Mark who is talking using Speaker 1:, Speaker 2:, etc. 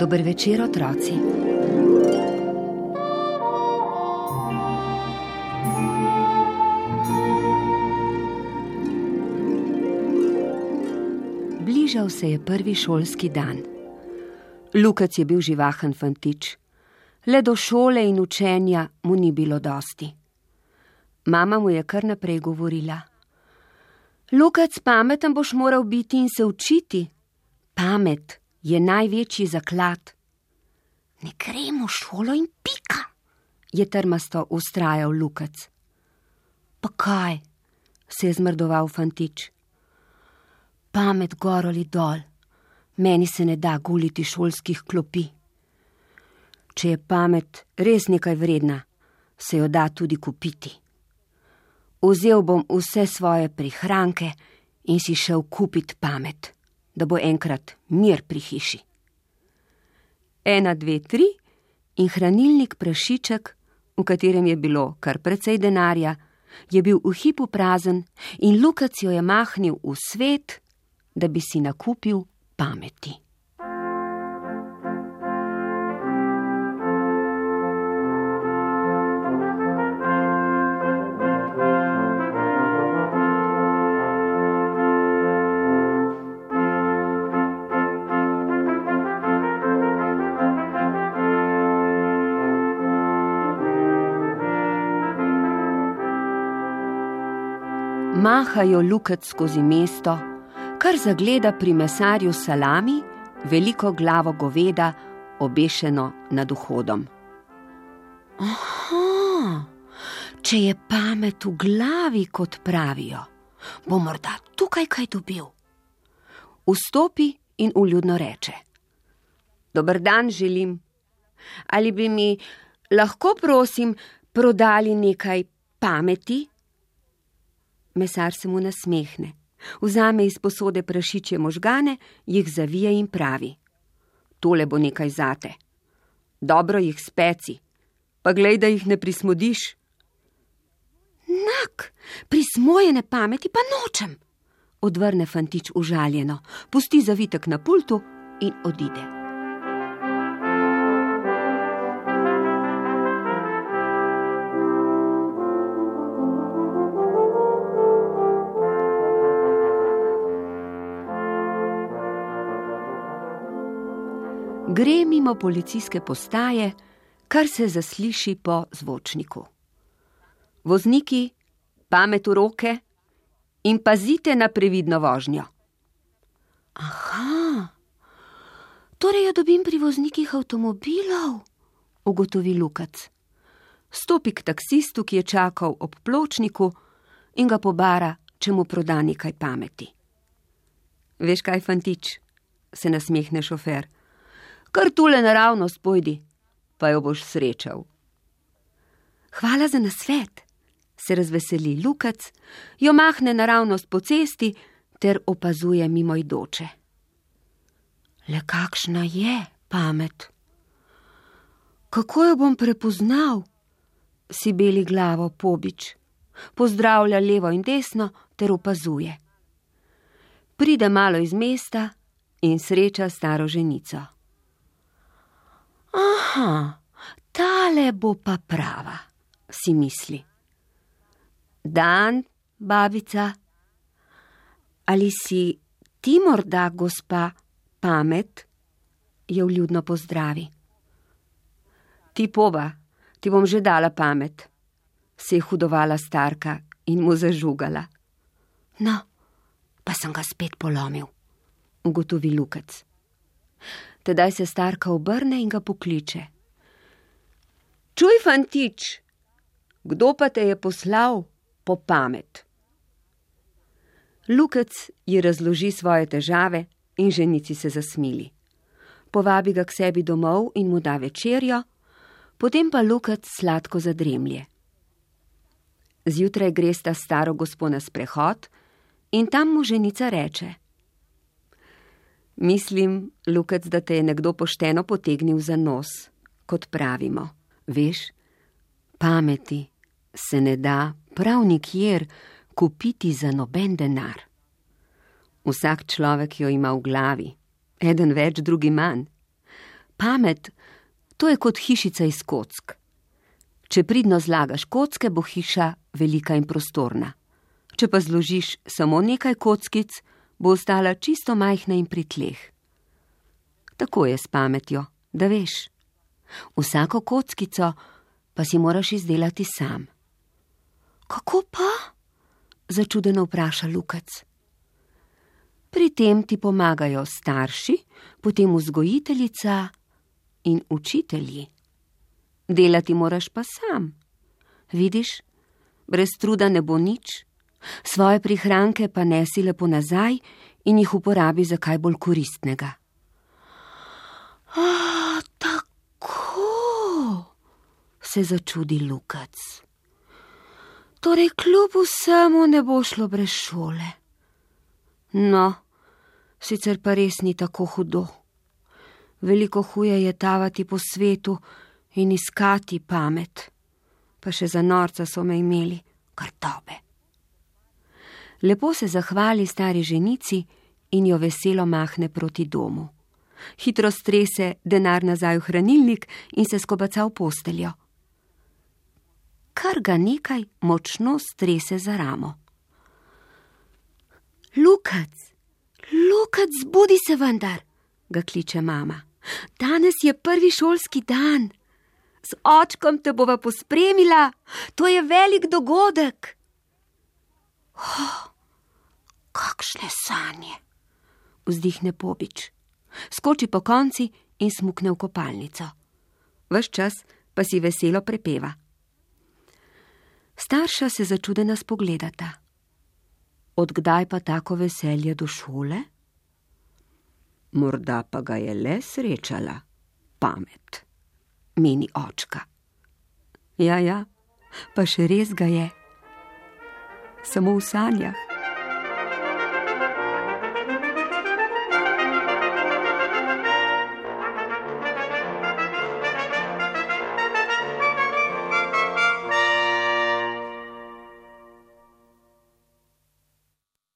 Speaker 1: Dober večer, otroci. Bližal se je prvi šolski dan. Lukac je bil živahen fantič. Le do šole in učenja mu ni bilo dosti. Mama mu je kar naprej govorila: Lukac, pameten boš moral biti in se učiti. Pamet je največji zaklad. Ne gremo v šolo in pika, je trmasto vztrajal Lukac. Pa kaj, se je zmrdoval fantič. Pamet gor ali dol, meni se ne da guliti šolskih klopi. Če je pamet res nekaj vredna, se jo da tudi kupiti. Vzel bom vse svoje prihranke in si šel kupit pamet, da bo enkrat mir pri hiši. 1, 2, 3 in hranilnik prašiček, v katerem je bilo kar precej denarja, je bil v hipu prazen in Lukac jo je mahnil v svet, da bi si nakupil pameti. Mahajo Lukac skozi mesto, kar zagleda pri mesarju salami veliko glavo goveda, obešeno nad vhodom. Aha, če je pamet v glavi, kot pravijo, bo morda tukaj kaj dobil. Vstopi in vljudno reče: Dober dan želim. Ali bi mi lahko, prosim, prodali nekaj pameti? Mesar se mu nasmehne, vzame iz posode prašičje možgane, jih zavije in pravi: Tole bo nekaj zate. Dobro jih speci, pa glej, da jih ne prismodiš. Nak, prismojene pameti pa nočem, odvrne fantič užaljeno, pusti zavitek na pultu in odide. Gre mimo policijske postaje, kar se zasliši po zvočniku. Vozniki, pamet v roke in pazite na previdno vožnjo. Aha, torej jo dobim pri voznikih avtomobilov, ugotovi Lukac. Stopi k taksistu, ki je čakal ob pločniku, in ga pobara, če mu proda nekaj pameti. Veš kaj, fantič, se nasmehne šofer. Kar tule naravnost pojdi, pa jo boš srečal. Hvala za nasvet, se razveseli Lukac, jo mahne naravnost po cesti ter opazuje mimoidoče. Le kakšna je pamet? Kako jo bom prepoznal? Si beli glavo pobič, pozdravlja levo in desno ter opazuje. Pride malo iz mesta in sreča staro ženico. Aha, tale bo pa prava, si misli. Dan, babica, ali si ti morda, gospa, pamet? Jo vljudno pozdravi. Ti poba, ti bom že dala pamet, se je hudovala starka in mu zažugala. No, pa sem ga spet polomil, ugotovi Lukac. Tedaj se starka obrne in ga pokliče. Čuj, fantič, kdo pa te je poslal po pamet? Lukac ji razloži svoje težave in ženici se zasmili. Povabi ga k sebi domov in mu da večerjo, potem pa Lukac sladko zadremlje. Zjutraj gresta staro gospo na sprehod in tam mu ženica reče: Mislim, Lukac, da te je nekdo pošteno potegnil za nos, kot pravimo. Veš, pameti se ne da prav nikjer kupiti za noben denar. Vsak človek jo ima v glavi, eden več, drugi manj. Pamet, to je kot hišica iz kock. Če pridno zlagaš kocke, bo hiša velika in prostorna. Če pa zložiš samo nekaj kockic, bo ostala čisto majhna in pri tleh. Tako je s pametjo, da veš. Vsako kockico pa si moraš izdelati sam. Kako pa? Začudeno vpraša Lukac. Pri tem ti pomagajo starši, potem vzgojiteljica in učitelji. Delati moraš pa sam. Vidiš, brez truda ne bo nič, svoje prihranke pa nesi lepo nazaj in jih uporabi za kaj bolj koristnega. Tako, se začudi Lukac. Torej kljub vsemu ne bo šlo brez šole. No, sicer pa res ni tako hudo. Veliko huje je tavati po svetu in iskati pamet. Pa še za norca so me imeli, kar dobe. Lepo se zahvali stari ženici in jo veselo mahne proti domu. Hitro strese denar nazaj v hranilnik in se skobaca v posteljo. Kar ga nekaj močno strese za ramo. Lukac, zbudi se vendar, ga kliče mama. Danes je prvi šolski dan. Z očkom te bova pospremila, to je velik dogodek. Kakšne sanje, vzdihne Pobič. Skoči po konci in smukne v kopalnico. Ves čas pa si veselo prepeva. Starša se začudena spogledata. Od kdaj pa tako veselje do šole? Morda pa ga je le srečala pamet, meni očka. Ja, pa še res ga je. Samo v sanjah.